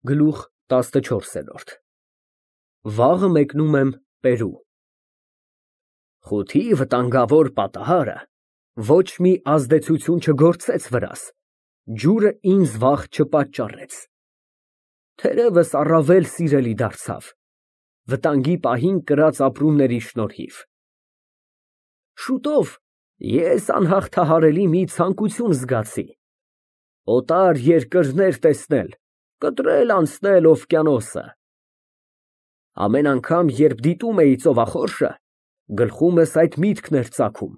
Գլուխ 14 Վաղը մեկնում եմ Պերու։ Խութի վտանգավոր պատահարը ոչ մի ազդեցություն չգործեց վրաս, ջուրը ինձ վախ չպատճառեց։ Թերևս առավել սիրելի դարձավ, վտանգի պահին կրած ապրումների շնորհիվ։ Շուտով ես անհաղթահարելի մի ցանկություն զգացի, օտար երկրներ տեսնել, կտրել անցնել օվկիանոսը։ Ամեն անգամ, երբ դիտում էի ծովախորշը, գլխումս այդ միտքն էր ծագում։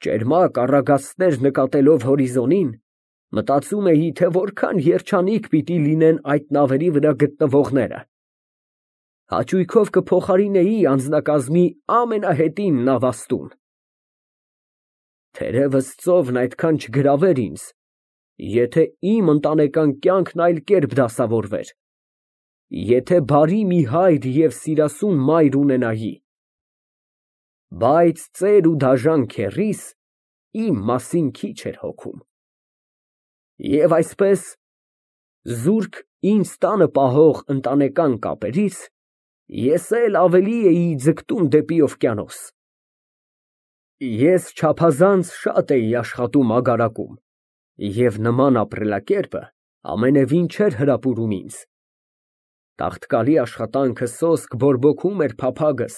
Ճերմակ առագաստներ նկատելով հորիզոնին, մտածում էի, թե որքան երջանիկ պիտի լինեն այդ նավերի վրա գտնվողները։ Հաճույքով կփոխարինեի անձնակազմի ամենահետին նավաստուն։ Թերևս ծովն այդքան չգրավեր ինձ, եթե իմ ընտանեկան կյանքն այլ կերպ դասավորվեր, եթե բարի մի հայր և սիրասուն մայր ունենայի, բայց ծեր ու դաժան քեռիս իմ մասին քիչ էր հոգում։ Եվ այսպես, զուրկ ինձ տանը պահող ընտանեկան կապերից, ես էլ ավելի էի ձգտում դեպի օվկիանոս։ Ես չափազանց շատ էի աշխատում ագարակում, և նման ապրելակերպը ամենևին չէր հրապուրում ինձ։ Տաղտկալի աշխատանքը սոսկ բորբոքում էր փափագս,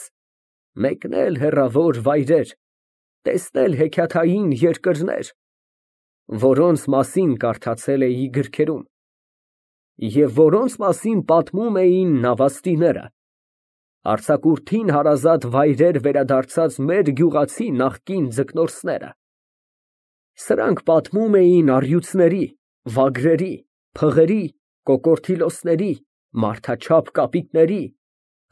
մեկնել հեռավոր վայրեր, տեսնել հեքիաթային երկրներ, որոնց մասին կարդացել էի գրքերում, և որոնց մասին պատմում էին նավաստիները, արձակուրդին հարազատ վայրեր վերադարձած մեր գյուղացի նախկին ձկնորսները։ Սրանք պատմում էին առյուծների, վագրերի, փղերի, կոկորդիլոսների, մարդաչափ կապիկների,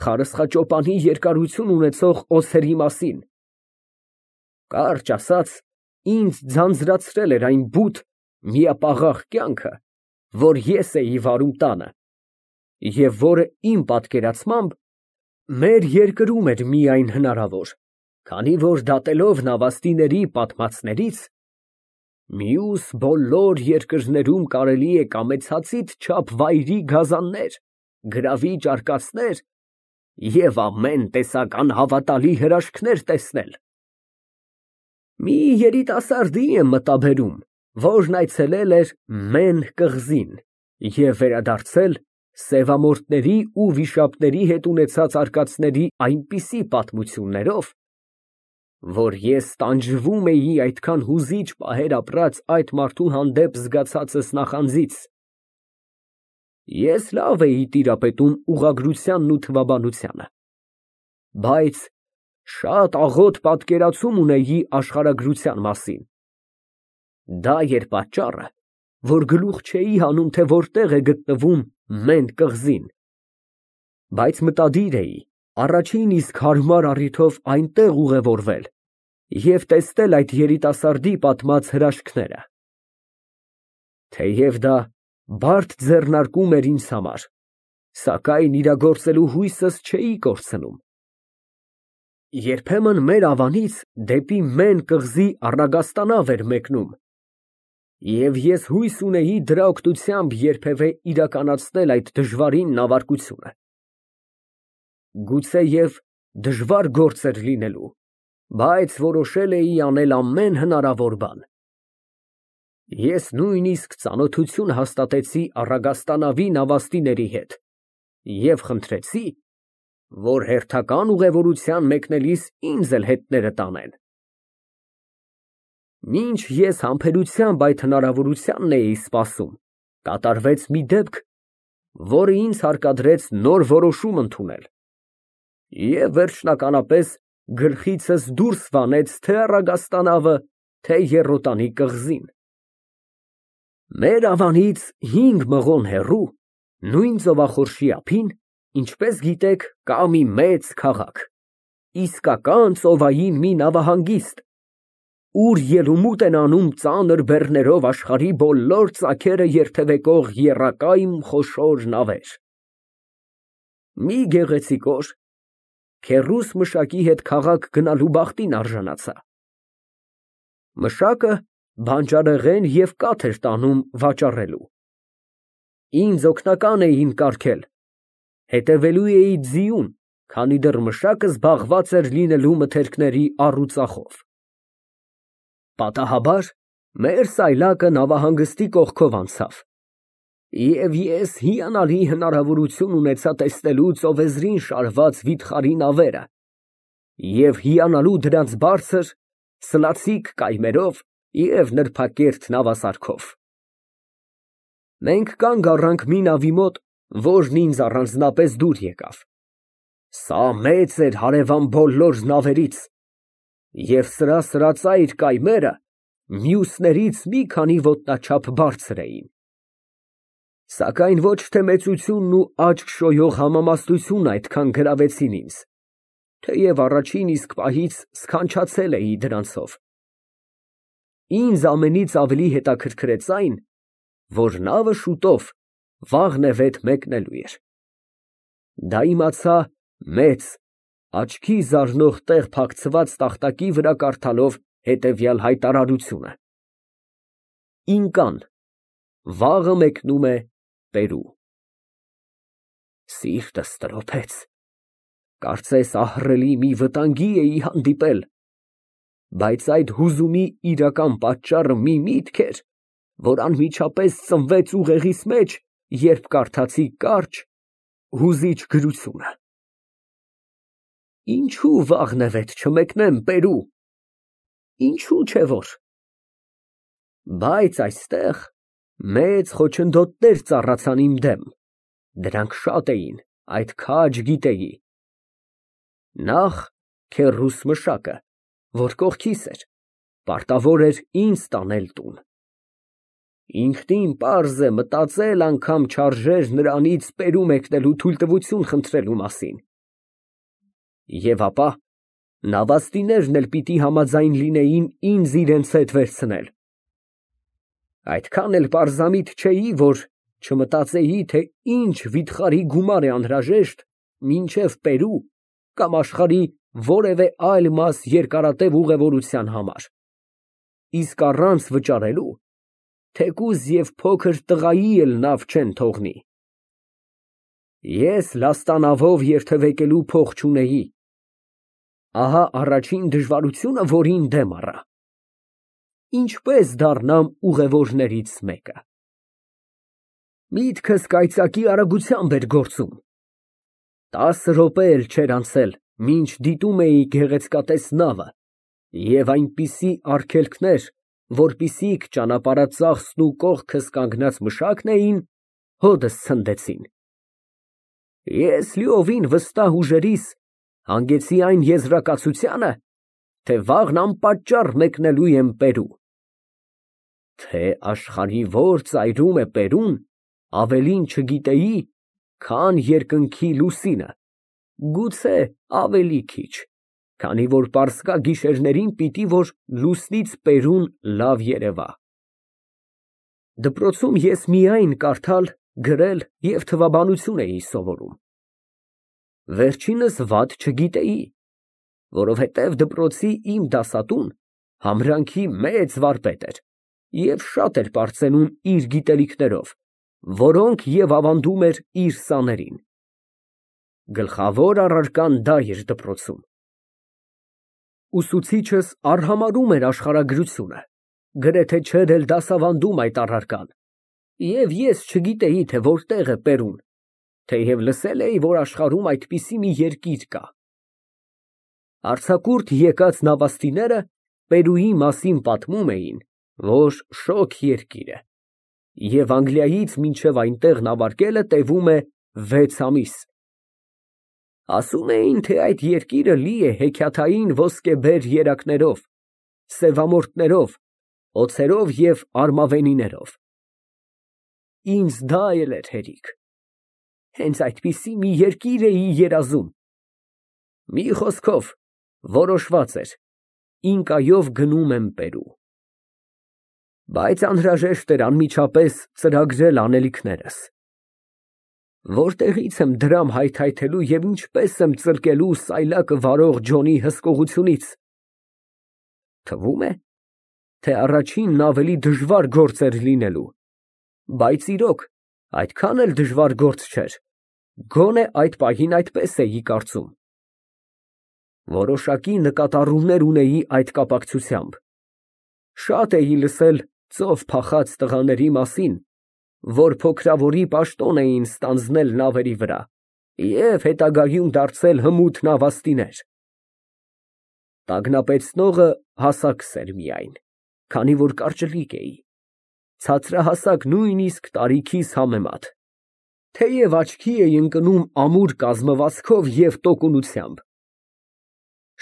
խարսխաճոպանի երկարություն ունեցող օձերի մասին։ Կարճ ասած, ինձ ձանձրացրել էր այն բութ, միապաղաղ կյանքը, որ ես էի վարում տանը, և որը իմ պատկերացմամբ մեր երկրում էր միայն հնարավոր, քանի որ դատելով նավաստիների պատմածներից, մյուս բոլոր երկրներում կարելի է կամեցածիդ չափ վայրի գազաններ, գրավիչ արկածներ և ամեն տեսակ անհավատալի հրաշքներ տեսնել։ Մի երիտասարդի եմ մտաբերում, որն այցելել էր Մեն կղզին և վերադարձել սևամորթների ու վիշապների հետ ունեցած արկածների այնպիսի պատմություններով, որ ես տանջվում էի այդքան հուզիչ պահեր ապրած այդ մարդու հանդեպ զգացածս նախանձից։ Ես լավ էի տիրապետում ուղղագրությանն ու թվաբանությանը, բայց շատ աղոտ պատկերացում ունեի աշխարհագրության մասին։ Դա էր պատճառը, որ գլուխ չէի հանում, թե որտեղ է գտնվում Մեն կղզին, բայց մտադիր էի առաջին իսկ հարմար առիթով այնտեղ ուղևորվել և տեսնել այդ երիտասարդի պատմած հրաշքները։ Թեև դա բարդ ձեռնարկում էր ինձ համար, սակայն իրագործելու հույսս չէի կորցնում։ Երբեմն մեր ավանից դեպի Մեն կղզի առագաստանավ էր մեկնում, և ես հույս ունեի դրա օգնությամբ երբևէ իրականացնել այդ դժվարին նավարկությունը։ Գուցեև դժվար գործ էր լինելու, բայց որոշել էի անել ամեն հնարավոր բան։ Ես նույնիսկ ծանոթություն հաստատեցի առագաստանավի նավաստիների հետ և խնդրեցի, որ հերթական ուղևորության մեկնելիս ինձ էլ հետները տանեն։ Մինչ ես համբերությամբ այդ հնարավորությանն էի սպասում, կատարվեց մի դեպք, որը ինձ հարկադրեց նոր որոշում ընդունել և վերջնականապես գլխիցս դուրս վանեց թե առագաստանավը, թե եռոտանի կղզին։ Մեր ավանից 5 մղոն հեռու, նույն ծովախորշի ափին, ինչպես գիտեք, կա մի մեծ քաղաք, իսկական ծովային մի նավահանգիստ, ուր ելումուտ են անում ծանր բեռներով աշխարհի բոլոր ծագերը երթևեկող եռակայմ խոշոր նավեր։ Մի գեղեցիկ օր քեռուս մշակի հետ քաղաք գնալու բախտին արժանացա։ Մշակը բանջարեղեն և կաթ էր տանում վաճառելու։ Ինձ օգնական էին կարգել, հետևելու էի ձիուն, քանի դեռ մշակը զբաղված էր լինելու մթերքների առուծախով։ Պատահաբար մեր սայլակը նավահանգստի կողքով անցավ, և ես հիանալի հնարավորություն ունեցա տեսնելու ծովեզրին շարված վիթխարի նավերը և հիանալու դրանց բարձր, սլացիկ կայմերով և նրբակերտ նավասարքով։ Մենք կանգ առանք մի նավի մոտ, որն ինձ առանձնապես դուր եկավ. սա մեծ էր հարևան բոլոր նավերից, և սրասրածայր կայմերը մյուսներից մի քանի ոտնաչափ բարձր էին, սակայն ոչ թե մեծությունն ու աչք շոյող համամասնությունն այդքան գրավեցին ինձ, թեև առաջին իսկ պահից սքանչացել էի դրանցով։ Ինձ ամենից ավելի հետաքրքրեց այն, որ նավը շուտով վաղնևեթ մեկնելու էր։ Դա իմացա մեծ, աչքի զարնող տեղ փակցված տախտակի վրա կարդալով հետևյալ հայտարարությունը. Ինկան, վաղը մեկնում է Պերու։ Սիրտս տրոփեց, կարծես ահռելի մի վտանգի էի հանդիպել, բայց այդ հուզումի իրական պատճառը մի միտք էր, որ անմիջապես ծնվեց ուղեղիս մեջ, երբ կարդացի կարճ, հուզիչ գրությունը. Ինչու վաղնևեթ չմեկնեմ Պերու, ինչու չէ որ։ Բայց այստեղ մեծ խոչընդոտներ ծառացան իմ դեմ, դրանք շատ էին, այդ քաջ գիտեի։ Նախ քեռուս մշակը, որ կողքիս էր, պարտավոր էր ինձ տանել տուն։ Ինքնին պարզ է մտածել անգամ չարժեր նրանից Պերու մեկնելու թույլտվություն խնդրելու մասին։ Եվ ապա նավաստիներն էլ պիտի համաձայն լինեին ինձ իրենց հետ վերցնել։ Այդքան էլ պարզամիտ չէի, որ չմտածեի, թե ինչ վիթխարի գումար է անհրաժեշտ մինչև Պերու կամ աշխարհի որևէ այլ մաս երկարատև ուղևորության համար, իսկ առանց վճարելու թեկուզ և փոքր տղայի էլ նավ չեն թողնի։ Ես լաստանավով երթևեկելու փող չունեի։ Ահա առաջին դժվարությունը, որին դեմ առա. ինչպես դառնամ ուղևորներից մեկը։ Միտքս կայծակի արագությամբ էր գործում։ 10 րոպե էլ չէր անցել, մինչ դիտում էի գեղեցկատես նավը և այնպիսի արգելքներ, որպիսիք ճանապարհածախսն ու կողքս կանգնած մշակն էին, հոդս ցնդեցին։ Ես լիովին վստահ ուժերիս հանգեցի այն եզրակացությանը, թե վաղն անպատճառ մեկնելու եմ Պերու։ Թե աշխարհի որ ծայրում է Պերուն, ավելին չգիտեի, քան երկնքի լուսինը, գուցե ավելի քիչ, քանի որ պարսկա գիշերներին պիտի որ լուսնից Պերուն լավ երևա։ Դպրոցում ես միայն կարդալ, գրել և թվաբանություն էի սովորում։ Վերջինս վատ չգիտեի, որովհետև դպրոցի իմ դասատուն համրանքի մեծ վարպետ էր և շատ էր պարծենում իր գիտելիքներով, որոնք և ավանդում էր իր սաներին։ Գլխավոր առարկան դա էր դպրոցում։ Ուսուցիչս արհամարհում էր աշխարհագրությունը, գրեթե չէր էլ դասավանդում այդ առարկան, և ես չգիտեի, թե որտեղ է Պերուն, թեև լսել էի, որ աշխարհում այդպիսի մի երկիր կա։ Արձակուրդ եկած նավաստիները Պերուի մասին պատմում էին, որ շոգ երկիր է, և Անգլիայից մինչև այնտեղ նավարկելը տևում է 6 ամիս։ Ասում էին, թե այդ երկիրը լի է հեքիաթային ոսկեբեր երակներով, սևամորթներով, օձերով և արմավենիներով։ Ինձ դա էլ էր հերիք։ Հենց այդպիսի մի երկիր էի երազում։ Մի խոսքով, որոշված էր, ինկայով գնում եմ Պերու։ Բայց անհրաժեշտ էր անմիջապես ծրագրել անելիքներս։ Որտեղից եմ դրամ հայթայթելու և ինչպես եմ ծլկելու սայլակը վարող Ջոնի հսկողությունից։ Թվում է, թե առաջինն ավելի դժվար գործ էր լինելու, բայց իրոք, Այդքան էլ դժվար գործ չէր, գոնե այդ պահին այդպես էի կարծում։ Որոշակի նկատառումներ ունեի այդ կապակցությամբ։ Շատ էի լսել ծով փախած տղաների մասին, որ փոքրավորի պաշտոն էին ստանձնել նավերի վրա և հետագայում դարձել հմուտ նավաստիներ։ Տագնապեցնողը հասակս էր միայն, քանի որ կարճլիկ էի, ցածրահասակ նույնիսկ տարիքիս համեմատ, թեև աչքի էի ընկնում ամուր կազմվածքով և տոկունությամբ։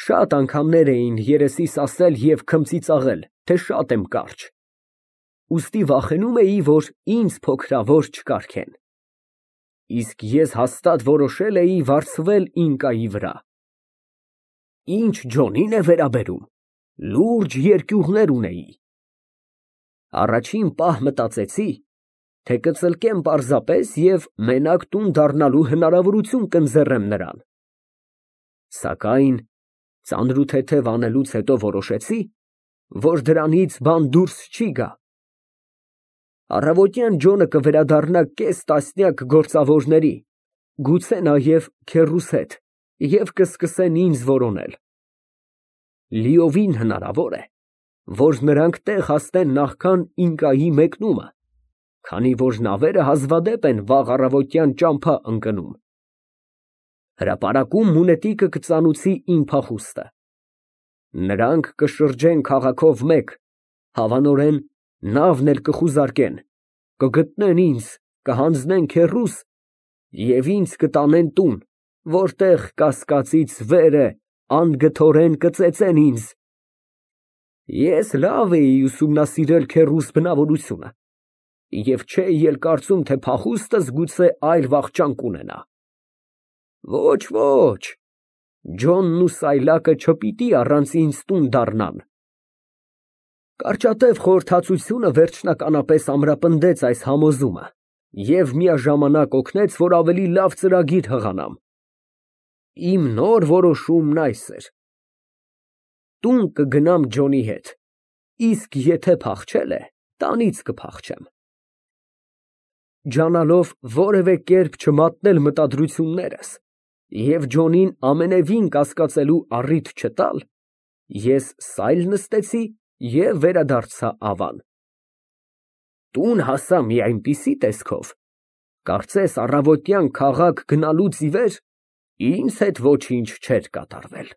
Շատ անգամներ էին երեսիս ասել և քմծիծաղել, թե շատ եմ կարճ, ուստի վախենում էի, որ ինձ փոքրավոր չկարգեն, իսկ ես հաստատ որոշել էի վարձվել ինկայի վրա։ Ինչ Ջոնին է վերաբերում, լուրջ երկյուղներ ունեի։ Առաջին պահ մտածեցի, թե կծլկեմ պարզապես և մենակ տուն դառնալու հնարավորություն կընձեռեմ նրան, սակայն ծանրութեթև անելուց հետո որոշեցի, որ դրանից բան դուրս չի գա։ Առավոտյան Ջոնը կվերադառնա կես տասնյակ գործավորների, գուցե նաև քեռուս հետ, և կսկսեն ինձ որոնել։ Լիովին հնարավոր է, որ նրանք տեղ հասնեն նախքան ինկայի մեկնումը, քանի որ նավերը հազվադեպ են վաղ առավոտյան ճամփա ընկնում։ Հրապարակում մունետիկը կծանուցի իմ փախուստը։ Նրանք կշրջեն քաղաքով մեկ, հավանորեն նավն էլ կխուզարկեն, կգտնեն ինձ, կհանձնեն քեռուս և ինձ կտանեն տուն, որտեղ կասկածից վեր է, անգթորեն կծեծեն ինձ։ Ես լավ էի ուսումնասիրել քեռուս բնավորությունը և չէի էլ կարծում, թե փախուստս գուցե այլ վախճան կունենա։ Ոչ, ոչ, Ջոնն ու սայլակը չպիտի առանց ինձ տուն դառնան։ Կարճատև խորհրդածությունը վերջնականապես ամրապնդեց այս համոզումը և միաժամանակ օգնեց, որ ավելի լավ ծրագիր հղանամ։ Իմ նոր որոշումն այս էր. տուն կգնամ Ջոնի հետ, իսկ եթե փախչել է, տանից կփախչեմ։ Ջանալով որևէ կերպ չմատնել մտադրություններս և Ջոնին ամենևին կասկածելու առիթ չտալ, ես սայլ նստեցի և վերադարձա Ավան։ Տուն հասա մի այնպիսի տեսքով, կարծես առավոտյան քաղաք գնալուց ի վեր ինձ հետ ոչինչ չէր կատարվել։